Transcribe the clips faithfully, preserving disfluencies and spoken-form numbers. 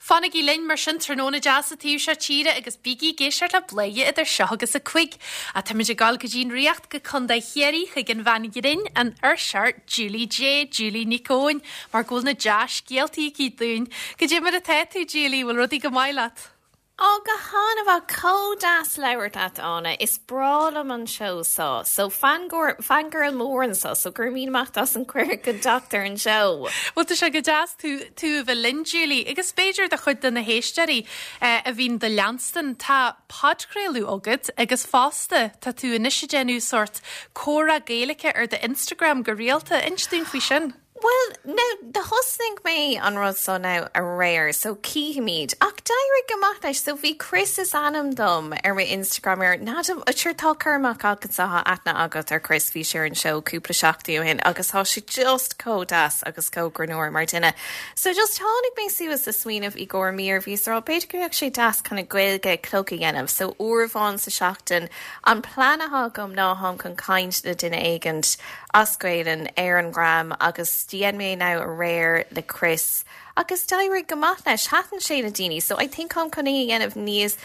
Fanaigí linn mar sin tráthnóna deas an taobh seo tíre agus bígí ag éisteacht le Bladhaire idir seo agus a cúig. A Táimid ag dul go dtí'n Ríocht go Contae Chiarraí chuig an bhean ghrinn an fuirseoir Julie Jay Julie Nic Eoin mar go bhfuil na dea-scéaltaí aici dúinn. Goidé mar atá tú Julie bhfuil rudaí go maith leat. Á go han-mhaith chomh deas labhairt leat Áine is breá liom an seó so so fangirl mór anseo so gur mí amach as an chuir go doctor an seó. Well tá sé go deas tú tú a bheith linn Julie agus b'fhéidir do chuid de na héisteoirí eh, a bhíonn do leanstan tá podchraoladh agat agus fosta tá tú anois ag déanamh sórt comhrá Gaeilge ar do Instagram go rialta inis dúinn faoi sin. Well now do thosnaigh mé an rud so now aréir so cífimid ach d'éirigh go maith leis so bhí Chris is ainm dom ar mo Instagram ar ná sure tá chuach agat sa aithne agat ar Chris bhí sé ar an seó cúpla seachtain ó shin agus tá sé just chomh deas agus chomh greannmhar mar duine. So just tháinig mé suas le smaoineamh i gcomhair mír bhí rá b'fhéidir go mbeadh sé deas chun a Gaeilge clog a dhéanamh, so uair amháin sa seachtain an plean atá agam ná táim chun caint le duine éigin as Gaeilge ar an gram agus dhein mé now aréir le Chris agus d'éirigh go maith leis thaitin sé le daoine, so I think an chun é a dhéanamh níos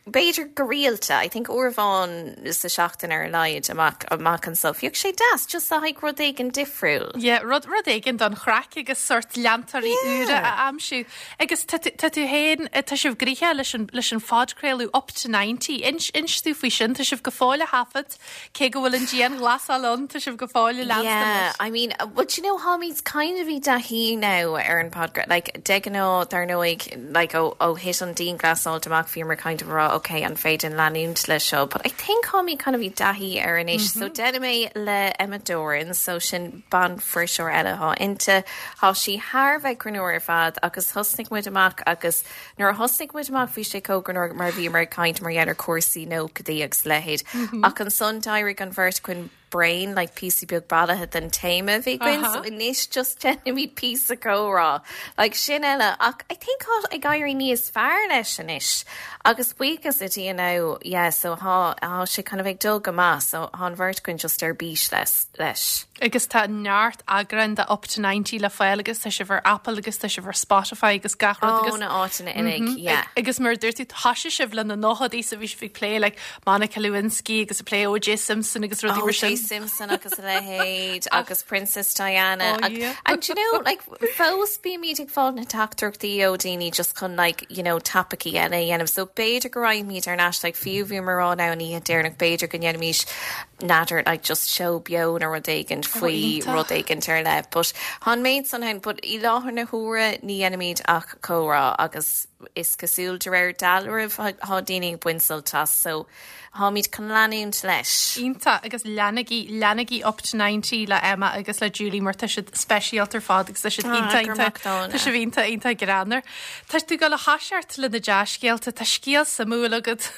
b'fhéidir go rialta, I think uair amháin sa seachtain ar a laghad amach amach anseo. Bheadh sé deas just a rud éigin difriúil. Yeah, rud rud éigin don chraic agus sórt leantóirí úra a aimsiú. Agus tá tú féin tá sibh gnoitheach leis an leis an phodchraoladh up to ninety. Inis dúinn faoi sin tá sibh go fóill á thaifead cé go bhfuil an dianghlasáil ann tá sibh go fóill leanstan. Yeah, I mean, uh, but you know táimid kind of i dtaithí now ar an podcast like de ghnáth dar ndóigh like ó ó thit an dianghlasáil amach bhí mar kind of rá okay an féidir leanúint le seo, but I think táimid kind of i dtaithí ar anois mm -hmm. so déanaim é le Emma Doran so sin ban fuirseoir eile atá inti Tá sí thar bheith greannmhar ar fad agus thosnaigh muid amach agus nuair a thosnaigh muid amach bhí sé chomh greannmhar mar bhí mar caint mar gheall ar cúrsaí nóchaidí agus leithéid mm -hmm. ach ansan d'éirigh an bheirt againn bréan like píosa beag bailithe den téama bhí againn so anois just déanaimid píosa comhrá like sin eile ach I think tá ag éirí níos fearr leis anois agus buíochas le Dia now yeah so tá tá sé kind of ag dul go maith so tá an bheirt againn just ar bís leis leis. Agus tá neart eagrán de up to ninety le fáil agus tá sibh ar Apple agus tá sibh ar Spotify agus gach rud agus na áiteanna uilig yeah. Agus mar dúirt tú thosaigh sibh le na nóchaidí sa bhí sibh ag plé like Monica Lewinsky agus ag plé O J Simpson agus rudaí mar sin. Simpson agus a leithéid agus Princess Diana Oh, yeah. and you know like fós bímid ag fáil na teachtaireachtaí ó daoine just chun like you know topaicí eile a dhéanamh so b'fhéidir go raghaimid ar ais like fiú bhí mar rá ná ní déarnach b'fhéidir go ndéanfaimis n'fheadar like just show beo nó rud éigin faoi iontach. rud éigin ar leith but han méid san hen but i láthair na huaire ní dhéanaimid ach comhrá agus is cosúil de réir dealraimh tá daoine ag baint sult as so táimid chun leanúint leis. Iontach agus leanaigí leanaigí up to ninety le Emma agus le Julie mar tá siad speisialta ar fad agus tá siad Ah, iontach gur iontach mac dána. Tá sibh iontach iontach greannmhar. Tá tú ag dul a thoiseacht le na dea-scéalta tá scéal suimiúil agat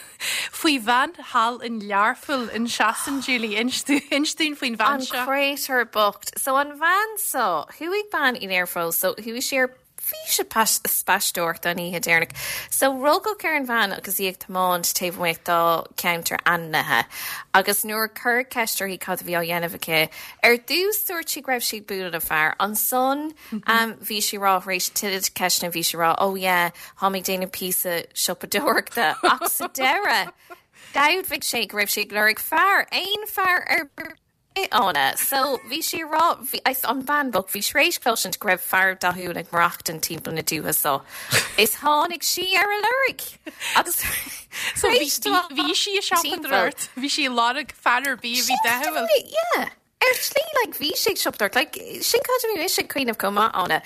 faoi bhean thall in Learpholl in Sasain Julie inis dúinn faoin bhean An seo. créatúr bocht. So an bhean so chuaigh bean i Learpholl so chuaigh sí ar bhí spaisteoireacht an oíche deireanach. So rugadh ar an bhean agus í ag tiomáint taobh amuigh dá ceantar ainmnithe. Agus nuair chuir ceist uirthi cad a bhí á dhéanamh aici ar dtús dúirt sí go raibh sí ag bualadh le fear. Ansan um, bhí sí rá réis tuilleadh ceisteanna bhí sí rá ó yeah, táim ag déanamh píosa siopadóireachta ach sa deireadh. D'admhaigh sé go raibh sí ag lorg fear aon fear ar anna. So bhí sí rá bhí- an bhean bhocht bhí sé tar éis cloisint go raibh fear dathúil ag maireachtáil timpeall na dúiche so. Is tháinig sí ar a lorg agus So bhí bhí sí ag siopadóireacht, bhí sí lorg fear ar bith a bhí dathúil. Yeah. Ar slí like bhí sé ag siopadóireacht like sin cad a bhí mise ag cuimhneamh chomh maith anna.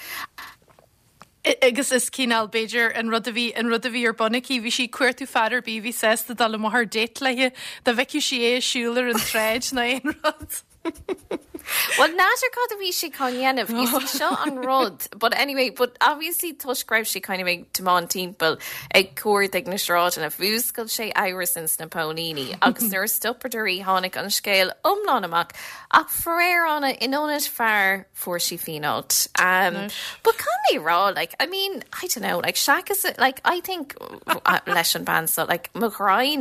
Agus is cineál b'fhéidir an rud a bhí an rud a bhí ar bun aici, bhí sí cuartú fear ar bith bhí sásta dul amach ar date léi dá bhfeicfeadh sí é ag siúl ar an tsráid nó aon rud. Well n'fheadar cad a bhí sé chun dhéanamh is seo an rud but anyway but obviously toisc go raibh sé kind of ag tiomáint timpeall ag cuardach na sráideanna mhúscail sé amhras ins na póilíní agus nuair a stopadar í tháinig an scéal iomlán amach ach faraor anna in ionad fear fuair sí fínáilt. Um, but can mé rá like I mean I don't know like seachas like I think uh, leis an bhean so like mo ghraí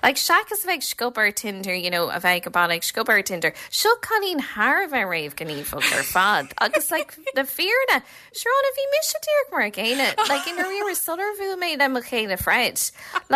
like seachas bheith sciob ar Tinder you know a bheith go baile sciob ar Tinder seo cailín thar a bheith réamhghníomhach ar fad agus like le fírinne Siobhán bhí mise díreach mar an gcéanna like in rí sular bhuail mé le mo chéile Fred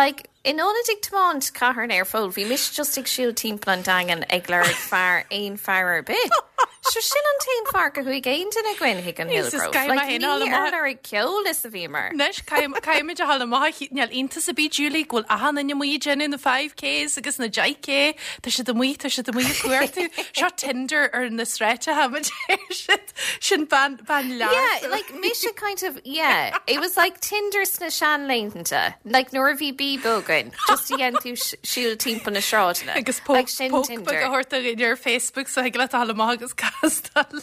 like in ionad ag tiomáint cathair an aerfóil bhí mise just ag siúl timpeall an Daingean ag lorg fear aon fear ar bith. So sin an t-aon fáth gur chuaigh aon duine againn chuig an Hillgrove. Like, ní ar ar ceol is a bhí mar. Anois caithfimid a ghabháil amach níl iontas ar bith Julie go bhfuil achan duine amuigh ag déanamh na five Ks agus na deich K Tá siad amuigh tá siad amuigh ag cuartú seo Tinder ar na sráideanna sin ban ban le. Yeah, like mise kind of yeah, it was like Tinder sna seanlaethanta. Like nuair a bhí Bebo againn, just a dhéan tú siúl timpeall na sráideanna. Agus like sin Tinder. a thabhairt ar Facebook so ag le amach agus castáil.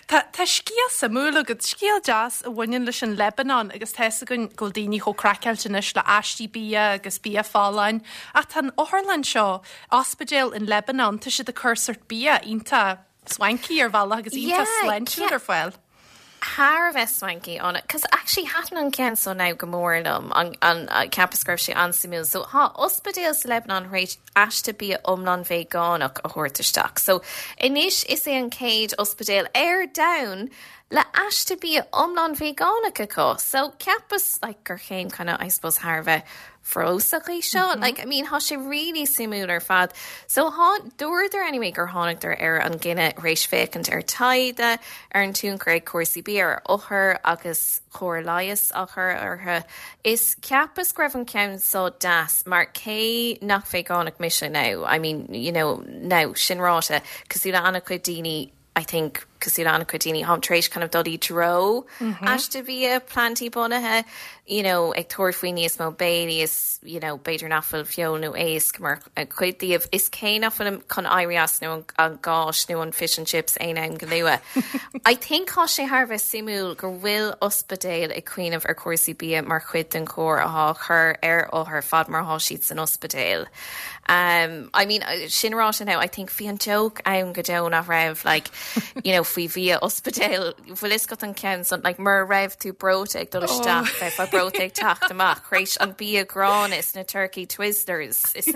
Tá scéal suimiúil agat scéal deas a bhaineann leis an Lebanon agus tá gon go daoine chomh craiceáilte anois le aistí bia agus bia folláin ach tá an otharlann seo ospidéal in Lebanon tá siad ag cur sórt bia iontach swanky ar bhealach agus iontach sláintiúil ar fáil. Thar a bheith swanky on it, cos actually thaitin an ceann so now go mór liom an, an, an ceapas go raibh sé an-suimiúil. So tá ospidéal sa Lebanon tar éis aiste bia iomlán veigeánach a thabhairt isteach. So anois is é an chéad ospidéal ar domhan le aiste bia iomlán veigeánach acu. So ceapas like, gur chéim kind of, I suppose thar a bheith feabhsach é seo. Mm -hmm. Like, I mean, tá sé really suimiúil ar fad. So há dúradar anyway gur tháinigdar ar an gcinneadh tar éis féachaint ar taighde ar an tionchar ag cúrsaí bia ar othair agus cóir leighis á chur orthu. Is ceapas go raibh an ceann so deas mar cé nach veigeánach mise now. I mean, you know, now sin ráite cosúil le an-chuid daoine I think cosúil le an-chuid daoine táim tar éis kind of dul i dtreo aiste bia plandaí bunaithe you know, ag tabhairt faoi níos mó béilí is you know, b'fhéidir nach bhfuil feoil nó éisc mar chuid díobh is cé nach bhfuil chun éirí as nó an, an gáis nó an fish and chips aon am go luath. I think tá sé thar a bheith suimiúil go bhfuil ospidéal ag cuimhneamh ar cúrsaí bia mar chuid den chóir atá chur ar othair fad mar atá siad san ospidéal. Um, I mean, sin ráite now, I think bhí an joke ann go deo nach raibh like, you know, faoi bhia ospidéal bhfuil fhios agat an ceann san like, mar raibh tú breoite ag dul isteach bheith fa breoite ag teacht amach tar éis an bia gránna is na turkey twizzlers is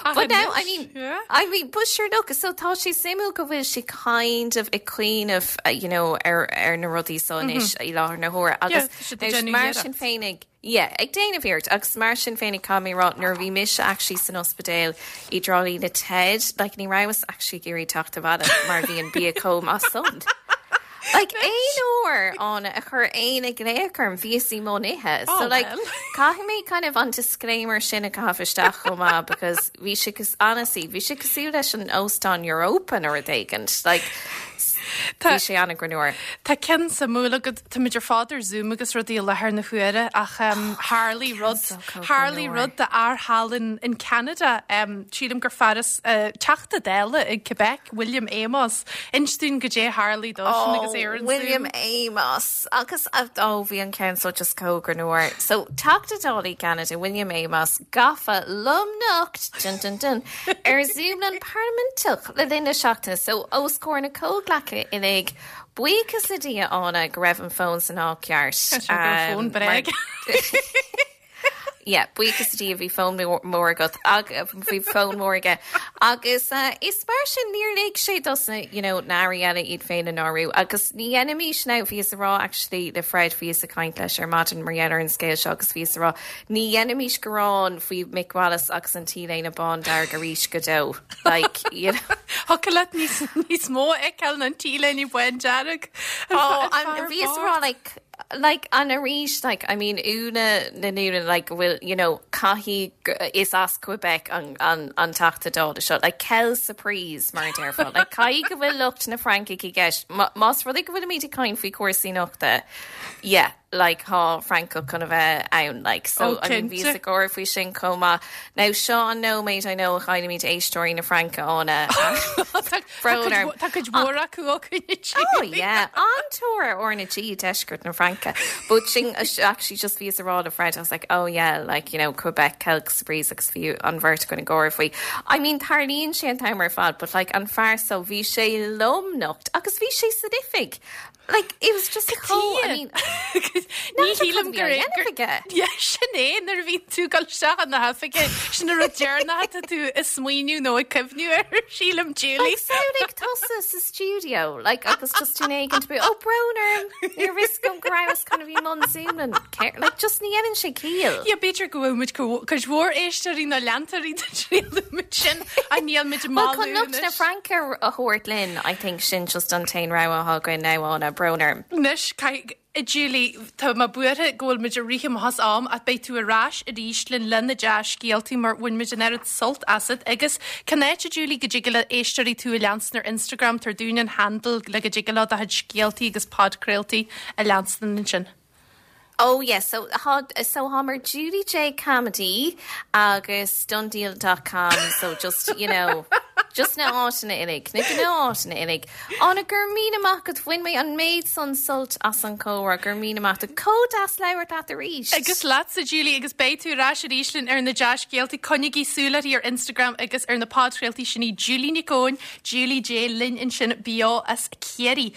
But now I mean yeah. I mean but sure look so tá sé suimiúil go bhfuil sé kind of ag cuimhneamh uh, you know ar ar na rudaí so anois i láthair na huaire agus tá siad ag déanamh mar iarracht. sin féinig Yeah, ag déanamh iarracht agus mar sin féinig cá mé rá nuair bhí mise actually san ospidéal i dTrá Lí le Ted, like ní rabhas actually ag iarraidh teacht abhaile mar bhí an bia chomh maith san. Like aon uair an a chur aon ag lécarm bhí sí mó nithe. Oh, So like well. caithfidh mé kind of an disclaimer sin a chaitheamh isteach chomh maith because bhí sé cos honestly bhí sé cosúil leis an óstán Europa nó rud éigin. Like Tá- bhí sé an-ghreannmhar. Tá ceann suimiúil agat tá muid ar fad ar Zoom agus rudaí i láthair na huaire ach um, tharla rud so tharla rud d'fhear thall in, in Canada um, sílim gur fear as uh, Teachta Dála i Quebec William Amos Inis dúinn goidé a tharla dó sin agus é ar an William Zoom. Amos agus ó bhí an ceann so just chomh greannmhar. So Teachta Dála Canada William Amos gafa lomnocht dun, dun, dun, ar Zoom an parlaiminteach le linn na seachtaine so os comhair na comhghleacaithe uilig buíochas le Dia Áine go raibh an fón san áit cheart. Tá sé go raibh fón Um, bréag. mar- Yeah, buíochas le Dia bhí fón mór agat bhí fón mór aige agus uh, is mar sin níor lig sé dos na you know, na hairí eile iad féin a náiriú agus ní dhéanfaimis now bhíos ag rá actually le Fred bhíos ag caint leis ar maidin mar gheall ar an scéal seo agus bhíos ag rá ní dhéanfaimis gearán faoi Mick Wallace agus an t-léine bándearg arís go deo like you know Thiocfadh leat níos níos mó eil an t-léine bándearg. Oh, and bhíos ag rá like like an arís like I mean una na núna like will you know caithfidh is as Quebec an an an Teachta Dála seo like quelle surprise mar a déarfá like caithfidh go bhfuil lucht na Fraince i gceist más rud é go bhfuilimid ag caint faoi cúrsaí nochta yeah like tá Francach chun a bheith ann like so Oh, I mean bhí cinnte. a gáir faoi sin chomh maith now seo an nóiméad I know chaillimid éisteoirí na Fraince Áine Brón orm. Tá cuid mhór acu Oh yeah, an-tóir ar na G deisceart na Fraince. But sin actually just bhíos ag rá le Fred, I was like, oh yeah, like you know, Quebec quelle surprise agus bhí an bheirt againn ag gáire faoi. I mean tarlaíonn sé an t-am ar fad, but like an fear so bhí sé lomnocht agus bhí sé san oifig. Like it was just chomh I mean Ní shílim gur sin é nuair a bhíonn tú ag dul isteach na hoifige sin an rud deireanach atá tú ag smaoineamh nó ag cuimhneamh air sílim Julie. Like tusa sa studio like agus just tú éigen be ó brón orm níor fhios agam go rabhas kind of i mbun Zoom and like just ní dhéanann sé ciall. Ja b'fhéidir go bhfuil muid cuid mhór éisteoirí nó leantóirí muid sin a níl muid Well chun lucht na Fraince a thabhairt linn I think sin just an t-aon rogha atá againn now Áine brón orm. Anois Julie tá mé buartha go bhfuil muid ag rith amach as am ach beidh tú ar ais arís linn le na dea-scéaltaí mar bhain muid an oiread sult asat agus cén áit a Julie go dtig le éisteoirí tú a leanstan ar Instagram tabhair dúinn an handle le go dtig leo do chuid scéaltaí agus podchraoltaí a leanstan ansin. Oh yes, so ha so táim ar Julie J Comedy agus donedeal.com so just you know just na háiteanna uilig na gnáiteanna uilig Áine go raibh míle maith agat bhain mé an méid san sult as an chomhrá go raibh míle maith chomh deas labhairt leat arís. Agus leatsa Julie agus beidh tú ar ais arís linn ar na dea-scéaltaí coinnigí súil ar Instagram agus ar na podchraoltaí sin í Julie Nic Eoin, Julie J linn ansin beo as Ciarraí.